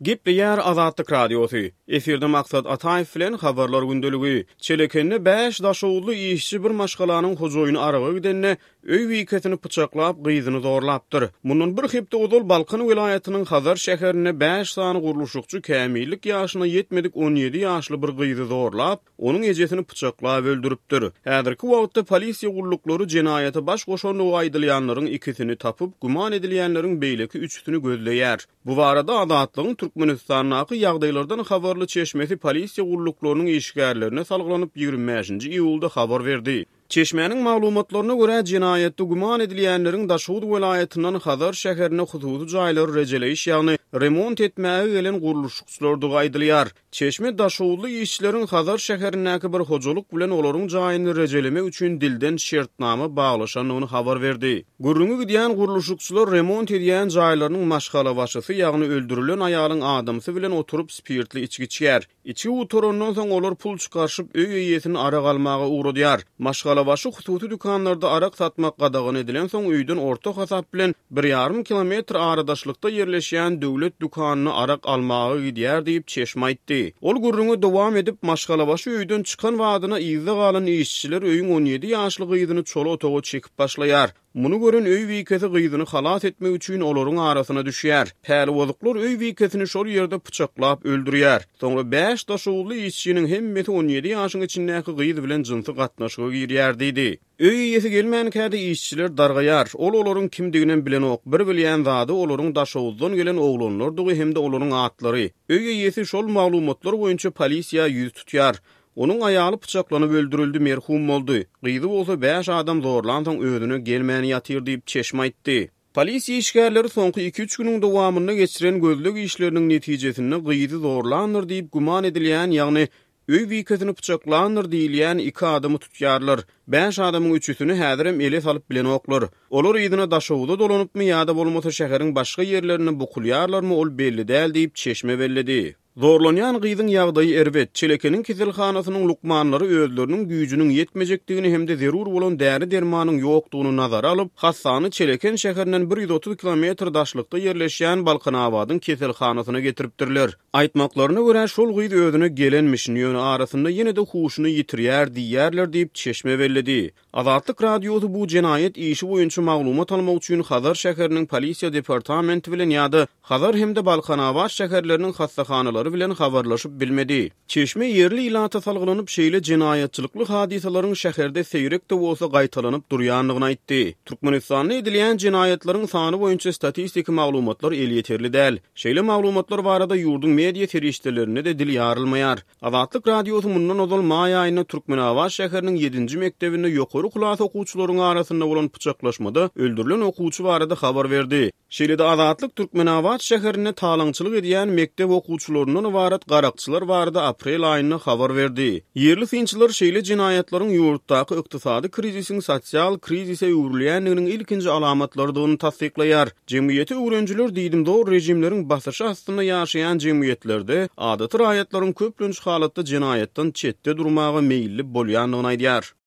Gepleýär Azatlyk Radiosy. Efirde Maksat Ataýew bilen Habarlar gündeligi. Çelekende bäş daşoguzly işçi bir maşgalanyň hojaýyny araga gidende, öý bikesini pyçaklap, gyzyny zorlapdyr. Mundan bir hepde ozal Balkan welaýatynyň Hazar şäherinde bäş sany gurluşykçy kämillik ýaşyna ýetmedik 17 ýaşly bir gyzy zorlap, onuň ejesini pyçaklap öldüripdir. Häzirki wagtda polisiýa gulluklary jenaýata baş goşandygy aýdylýanlaryň ikisini tapyp, güman edilýänleriň beýleki üçüsini gözleýär. Bu barada Azatlygyň Türkmenistandaky ýagdaýlardan habarly çeşmesi polisiýa gulluklarynyň işgärlerine salgylanyp, 25-nji iýulda habar berdi. Çeşmäniň maglumatlaryna görä, jenaýatda güman edilýänleriň Daşoguz welaýatyndan Hazar şäherine hususy jaýlary rejeleýiş, ýagny remont etmäge gelen gurluşykçylardygy aýdylýar. Çeşme daşoguzly işçileriň Hazar şäherindäki bir hojalyk bilen olaryň jaýyny rejelemek üçin dilden şertnama baglaşandygyny habar berdi. Gürrüňi gidýän gurluşykçylar remont edýän jaýlarynyň maşgalabaşysy, ýagny öldürilen aýalyň adamsy bilen oturyp spirtli içgi içýär. Içgi gutarandan soň olar pul çykaryşyp, öý eýesini arak almaga ugradýar. Maşgalabaşy hususy dükanlarda arak satmak gadagan edilensoň öýden orta hasap bilen bir ýarym kilometr aradaşlykda ýerleşýän döwlet dükanyna arak almaga gidýär diýip, çeşme aýtdy. Ol gürrüňe dowam edip, maşgalabaşy öýden çykan badyna yzda galan işçiler öýüň 17 ýaşly gyzyny çola otaga çekip başlaýar. Muny gören öý bikesi gyzyny halas etmek üçin olaryň arasyna düşýär. Pälibozuklar öý bikesini şol ýerde pyçaklap öldürýär. Soňra bäş daşoguzly işçiniň hemmesi 17 ýaşyň içindäki gyz bilen jynsy gatnaşyga girýär diýdi. Öý eýesi gelmänkä-de işçiler dargaýar. Ol olaryň kimdiginem bilenok. Bir bilýän zady olaryň Daşoguzdan gelen oglanlardygy hem-de olaryň atlary. Öý eýesi şol maglumatlar boýunça polisiýa ýüz tutýar. Onuň aýaly pyçaklanyp öldürildi, merhum boldy. Gyzy bolsa bäş adam zorlansoň özüne gelmän ýatyr diýip, çeşme aýtdy. Polisiýa işgärleri soňky iki-üç günüň dowamynda geçiren gözleg işleriniň netijesinde gyzy zorlandyr diýip güman edilýän, ýagny öý bikesini pyçaklandyr diýilýän iki adamy tutýarlar. Bäş adamyň üçüsini häzirem ele salyp bilenoklar. Olar yzyna Daşoguza dolanypmy ýa-da bolmasa şäheriň başga ýerlerinde bukulýarlarmy ol belli däl diýip, çeşme belledi. Zorlanýan gyzyň ýagdaýy erbet. Çelekeniň keselhanasynyň lukmanlary özleriniň güýjüniň ýetmejekdigini hem-de zerur bolan däri-dermanyň ýokdugyny nazara alyp, hassany Çeleken şäherinden 130 kilometr daşlykda ýerleşýän Balkanabadyň keselhanasyna getiripdirler. Aýtmaklaryna görä, şol gyz özüne gelenmişin, ýöne arasynda ýene-de huşuny ýitirýär diýýärler diýip, çeşme belledi. Azatlyk Radiosy bu jenaýat işi boýunça maglumat almak üçin Hazar şäheriniň polisiýa departamenti bilen ýa-da Hazar hem-de Balkanabat şäherleriniň hassahanalary bilen habarlaşyp bilmedi. Çeşme ýerli ilata salgylanyp, şeýle jenaýatçylykly hadysalaryň şäherde seýrek-de bolsa gaýtalanyp durýandygyny aýtdy. Türkmenistanda edilýän jenaýatlaryň sany boýunça statistiki maglumatlar elýeterli däl. Şeýle maglumatlar barada ýurduň media serişdelerinde-de dil ýarylmaýar. Azatlyk Radiosy mundan ozal maý aýynda Türkmenabat şäheriniň ýedinji mekdebinde ýokary klas okuwçylaryň arasynda bolan pyçaklaşmada öldürilen okuwçy barada habar berdi. Şeýle-de Azatlyk Türkmenabat şäherinde talaňçylyk edýän mekdep okuwçylaryndan ybarat garakçylar barada aprel aýynda habar berdi. Ýerli synçylar şeýle jenaýatlaryň ýurtdaky ykdysady krizisiň sosial krizise öwrülýändiginiň ilkinji alamatlarydygyny tassyklaýar. Jemgyýeti öwrenijiler diýdimzor režimleriň basyşy astynda ýaşaýan jemgyýetlerde adaty raýatlaryň köplenç halatda jenaýatdan çetde durmaga meýilli bolýandygyny aýdýar.